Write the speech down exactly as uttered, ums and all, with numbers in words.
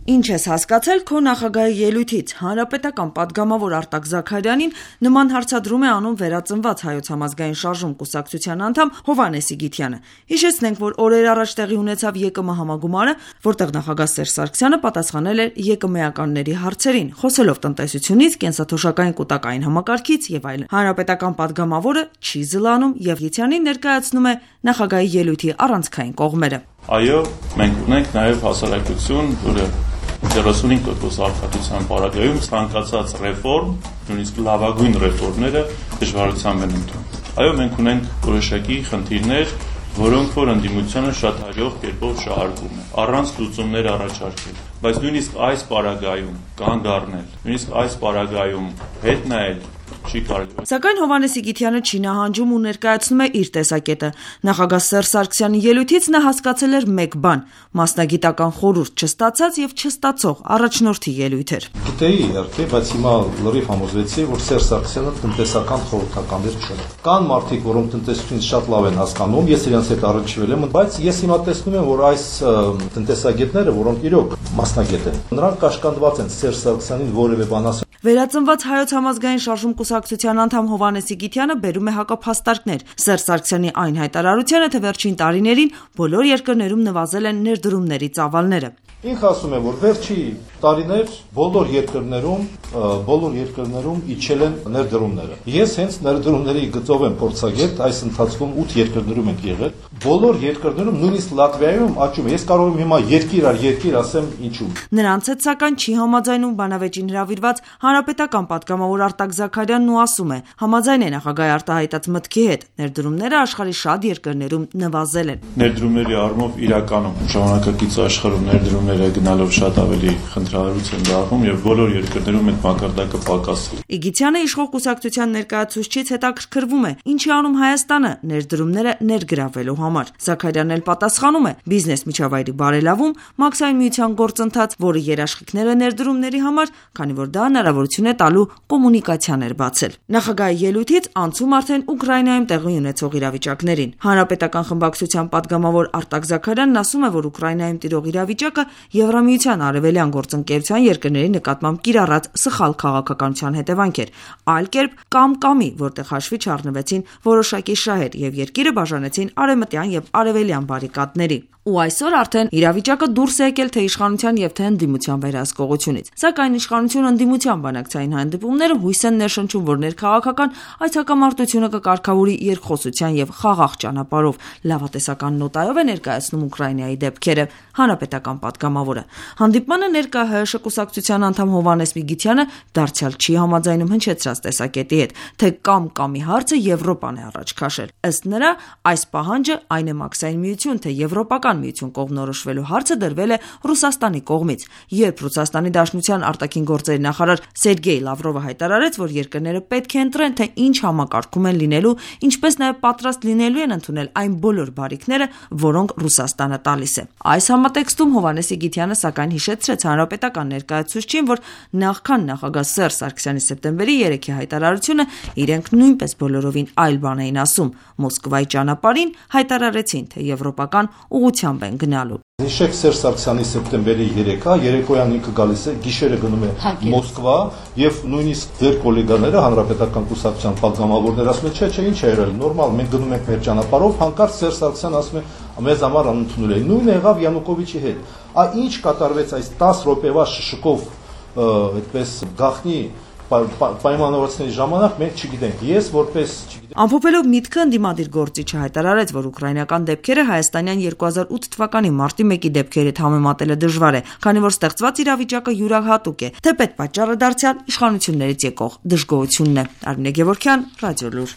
Ինչ ես հասկացել քո նախագահի ելույթից։ Հանրապետական պատգամավոր Արտակ Զաքարյանին նման հարցադրում է անում Վերածնված հայոց համազգային շարժում կուսակցության անդամ Հովհաննես Իգիթյանը։ Հիշեցնենք, որ օրեր առաջ տեղի ունեցավ ԵԿՄ համագումարը, որտեղ նախագահ Սերժ Սարգսյանը պատասխանել էր ԵԿՄ-ականների հարցերին, խոսելով տնտեսությունից, կենսաթոշակային կուտակային համակարգից եւ այլն։ Հանրապետական պատգամավորը չի զլանում եւ Իգիթյանին ներկայացնում է նախագահի ելույթի առանցքային կողմերը։ Այո, մենք ունենք նաեւ հասարակություն, որը երեսունհինգ տոկոս արտադրության պարագայում ցանկացած ռեֆորմ, նույնիսկ լավագույն ռեֆորմները դժվարությամբ են ընդունում։ Այո, մենք ունենք որոշակի խնդիրներ, որոնք որ ընդդիմությանը շատ հաջող կերպով շահարկում է, առանց լուծումներ առաջարկել, բայց նույնիսկ այս պարագայում կանգ առնել, նույնիսկ այս պարագայում հետ նայել չի կարելի։ Սակայն Հովհաննես Իգիթյանը չի նահանջում ու ներկայացնում է իր տեսակետը։ Նախագահ Սերժ Սարգսյանի ելույթից նա հասկացել էր մեկ բան՝ մասնագիտական խորհուրդ չստացած եւ չստացող առաջնորդի ելույթ էր։ Գիտեի իհարկե, բայց հիմա լրիվ համոզվեցի, որ Սերժ Սարգսյանը տնտեսական խորհրդականներ չէ։ Կան մարդիկ, որոնք տնտեսությունից շատ լավ են հասկանում, ես իրենց հետ առնչվել եմ, բայց ես հիմա տեսնում եմ, որ այս տնտեսագետները, որոնք իրոք մասնագետ են, նրանք կաշկանդված են Սերժ Սարգսյանին որևէ բան ասել։ Վերածնված հայոց համազգային շարժում կուսակցության անդամ Հովհաննես Իգիթյանը բերում է հակափաստարկներ Սերժ Սարգսյանի այն հայտարարությանը, թե վերջին տարիներին բոլոր երկրներում նվազել են ներդրումների ծավալները։ Ինքը ասում է, որ վերջի տարիներ բոլոր երկրներում, բոլոր երկրներում իջել են ներդրումները։ Ես հենց ներդրումների գծով եմ փորձագետ, այս ընթացքում ութ երկրներում ենք եղել։ Բոլոր երկրներում, նույնիսկ Լատվիայում աճում է։ Ես կարող եմ հիմա երկիր առ երկիր ասեմ ինչու։ Նրանց հետ սակայն չի համաձայնում բանավեճին հրավիրված հանրապետական պատգամավոր Արտակ Զաքարյանն ու ասում է. համաձայն է նախագահի արտահայտած մտքի հետ, ներդրումները աշխարհի շատ երկրներում նվազել են։ Ներդրումների առումով իրականում ժամանակակից աշխարհում ներդրումները գնալով շատ ավելի խնդրահարույց են դառնում եւ բոլոր երկրներում այդ մակարդակը պակասել։ Իգիթյանը իշխող կուսակցության ներկայացուցիչից հետաքրքրվում է, ինչի անում Հայաստանը ներդրումները ներգրավելու համար։ Զաքարյանն էլ պատասխանում է. բիզնես միջավայրի բարելավում, մաքսային միության գործընթաց, որը երաշխիքներ է ներդրումների համար, քանի որ դա հնարավորություն է տալու կոմունիկացիաներ բացել։ Նախագահի ելույթից անցում արդեն Ուկրաինայում տեղի ունեցող իրավիճակներին։ Հանրապետական խմբակցության պատգամավոր Արտակ Զաքարյանն ասում է, որ Ուկրաինայում տիրող իրավիճակը Եվրամիության արևելյան գործընկերության երկրների նկատմամբ կիրառած սխալ քաղաքականության հետևանք էր, այլ կերպ կամ-կամի, որտեղ հաշվի չառնվեցին որոշակի շահեր եւ երկիրը բաժանեցին արևմտյան եւ արևելյան բարիկադների։ Ու այսօր արդեն իրավիճակը դուրս է եկել թե իշխանության եւ թե ընդդիմության վերահսկողությունից։ Սակայն իշխանությունը ընդդիմության բանակցային հանդիպումները հույս են ներշնչում, որ ներքաղաքական այս հակամարտությունը կկարգավորի երկխոսության եւ խաղաղ ճանապարհով։ Լավատեսական նոտայով է ներկայացնում Ուկրաինայի դեպքերը հանրապետական պատգամավորը։ Հանդիպմանը ներկա ՀՀՇ կուսակցության անդամ Հովհաննես Իգիթյանը դարձյալ չի համաձայնում հնչեցրած տեսակետի հետ, թե կամ-կամի հարցը Եվրոպան է առաջ քաշել։ Ըստ նրա, այս պահանջը այն է մաքսային միություն, թե եվրոպական միություն կողմնորոշվելու հարցը դրվել է Ռուսաստանի կողմից, երբ Ռուսաստանի Դաշնության արտաքին գործերի նախարար Սերգեյ Լավրովը հայտարարեց, որ երկրները պետք է ընտրեն, թե ինչ համակարգում են լինելու, ինչպես նաև պատրաստ լինելու են ընդունել այն բոլոր բարիքները, որոնք Ռուսաստանը տալիս է։ Այս համատեքստում Հովհաննես Իգիթյանը սակայն հիշեցրեց հանրապետական ներկայացուցչին, որ նախքան նախագահ Սերժ Սարգսյանի սեպտեմբերի երեքի հայտարարությունը իրենք նույնպես բոլորովին այլ բան էին ասում։ Մոսկվայի ճանապարհին հայտարարեցին, թե եվրոպական ուղղությամբ են գնալու։ Հիշեք Սերժ Սարգսյանի սեպտեմբերի երեքը, երեկոյան ինքը գալիս է, գիշերը գնում է Մոսկվա եւ նույնիսկ ձեր գոլեգաները հանրապետական կուսակցության պատգամավորներ ասում են, չէ, չէ, ինչ է եղել, նորմալ, մենք գնում ենք մեր ճանապարհով, հանկարծ Սերժ Սարգսյանը ասում է, մեզ համար անընդունել է։ Նույնը եղավ Յանուկովիչի հետ։ Ա ինչ կատարվեց այս տասը րոպեվա շշկով, այդպես գախնի պայմանավորվածների ժամանակ մենք չգիտենք։ Ես որպես չգիտեմ։ Ամփոփելով միտքը ընդդիմադիր գործիչը հայտարարեց, որ ուկրաինական դեպքերը հայաստանյան երկու հազար ութ թվականի մարտի մեկի դեպքերի հետ համեմատելը դժվար է, քանի որ ստեղծված իրավիճակը յուրահատուկ է, թեպետ պատճառը դարձյալ իշխանություններից եկող դժգոհությունն է։ Արմինե Գևորգյան, Ռադիոլուր։